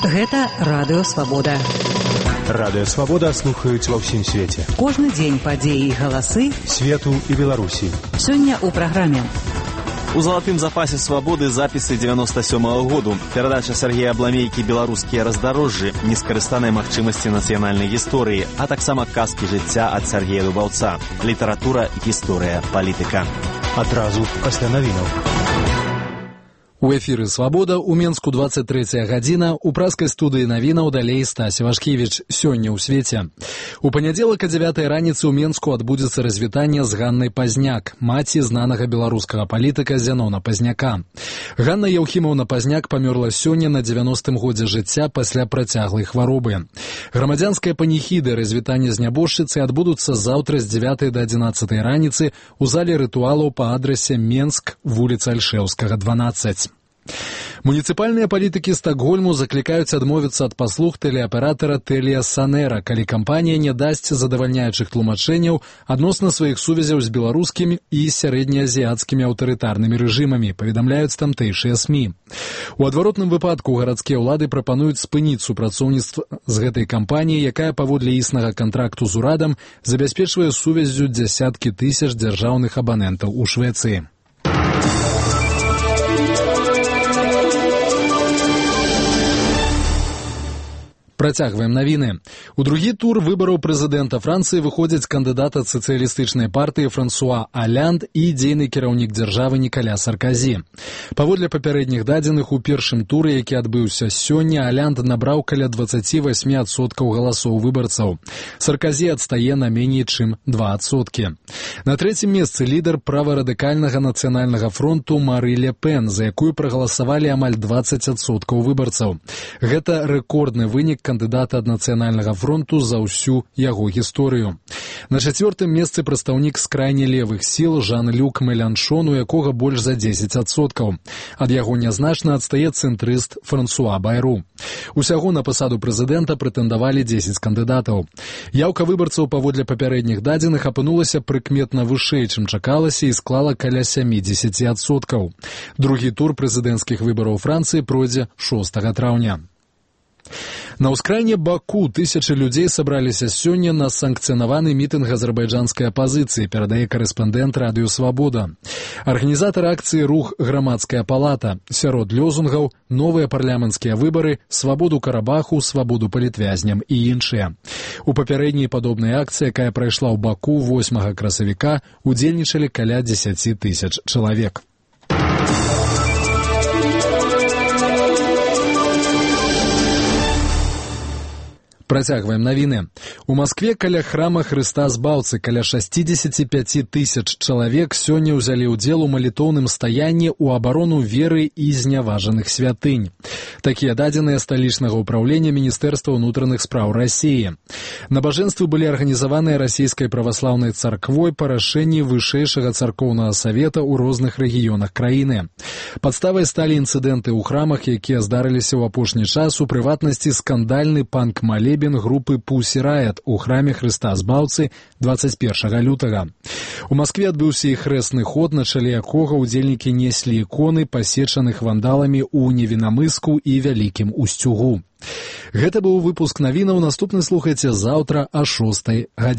Гэта Радыё Свабода. Радыё Свабода слухаюць ва ўсім свеце. Кожны дзень падзеі і галасы свету і Беларусі. Сёння ў праграме. У залатым запасе свабоды запісы 97-го году. Перадача Сергея Абламейкі «Беларускія раздарожжы», нескарыстаныя магчымасці нацыянальнай гісторыі, а таксама казкі жыцця ад Сергея Дубаўца. Літаратура, гісторыя, палітыка. Адразу пасля навінаў. У эфіры «Свабода» у Менску 23 гадзіна, у праскай студыі навінаў далей Стась Івашкевіч. Сёння ў свеце. У панядзелак о 9 раніцы ў Менску адбудзецца развітанне з Ганнай Пазняк, маці знанага беларускага палітыка Зянона Пазняка. Ганна Яўхімаўна Пазняк памёрла сёння на 90-м годзе жыцця пасля працяглай хваробы. Грамадзянская паніхіда развітання з нябожчыцай адбудуцца заўтра з 9 до 11 раніцы ў зале рытуалаў па адрасе Менск, вуліца Альшэўскага, 12. Муніцыпальныя палітыкі Стакгольму заклікаюць адмовіцца ад паслуг тэлеаператара Тэлія Санэра, калі кампанія не дасць задавальняючых тлумачэнняў адносна сваіх сувязяў з беларускімі і сярэднеазіяцкімі аўтарытарнымі рэжымамі, паведамляюць тамтэйшыя СМІ. У адваротным выпадку гарадскія ўлады прапануюць спыніць супрацоўніцтва з гэтай кампаніяй, якая паводле існага кантракту з урадам забяспечвае сувяззю дзясяткі тысяч дзяржаўных абанентаў у Швецыі. Працягваем навіны. У другі тур выбараў прэзідэнта Францыі выходзяць кандыдат ад сацыялістычнай партыі Франсуа Алянд і дзейны кіраўнік дзяржавы Нікаля Сарказі. Паводле папярэдніх дадзеных, у першым туры, які адбыўся сёння, Алянд набраў каля 28% галасоў выбарцаў. Сарказі адстае на меней чым 2%. На трэцім месцы лідар праварадыкальнага нацыянальнага фронту Мары Ле Пен, за якую прагаласавалі амаль 20% выбарцаў. Гэта рэкордны вынік кандыдата ад нацыянальнага фронту за ўсю яго гісторыю. На чацвёртым месцы прадстаўнік з крайне левых сіл Жан-Люк Меланшон, у якога больш за 10%. Ад яго нязначна адстае цэнтрыст Франсуа Байру. Усяго на пасаду прэзідэнта прэтэндавалі 10 кандыдатаў. Яўка выбарцаў паводле папярэдніх дадзеных апынулася прыкметна вышэй, чым чакалася, і склала каля 70%. Другі тур прэзідэнцкіх выбараў Францыі пройдзе 6 траўня. На ўскраіне Баку тысячы людзей сабраліся сёння на санкцыянаваны мітынг азербайджанскай апазіцыі, перадае карэспандэнт Радыё Свабода. Арганізатар акцыі «Рух Грамадская палата». Сярод лёзунгаў новыя парламенцкія выбары, свабоду Карабаху, свабоду палітвязням і іншыя. У папярэдняй падобнай акцыі, якая прайшла ў Баку 8 красавіка, удзельнічалі каля 10 тысяч чалавек. Працягваем навіны. У Маскве каля храма Хрыста Збаўцы каля 65 тысяч чалавек сёння ўзялі ўдзел у малітоўным стаянні ў абарону веры і зняважаных святынь. Такія дадзеныя сталічнага ўпраўлення Міністэрства ўнутраных спраў Расіі. Набажэнствы былі арганізаваныя расійскай праваслаўнай царквой па рашэнні вышэйшага царкоўнага савета ў розных рэгіёнах краіны. Падставай сталі інцыдэнты ў храмах, якія здарыліся ў апошні час, у прыватнасці скандальны панк-малебен групы Pussy Riot у храме Хрыста Збаўцы 21 лютага. У Маскве адбыўся і хрэсны ход, на чале якога ўдзельнікі неслі іконы, пасечаных вандаламі ў Невінамыску і Вялікім Усцюгу. Гэта быў выпуск навінаў. Наступны слухайце заўтра о 6 гадзіне.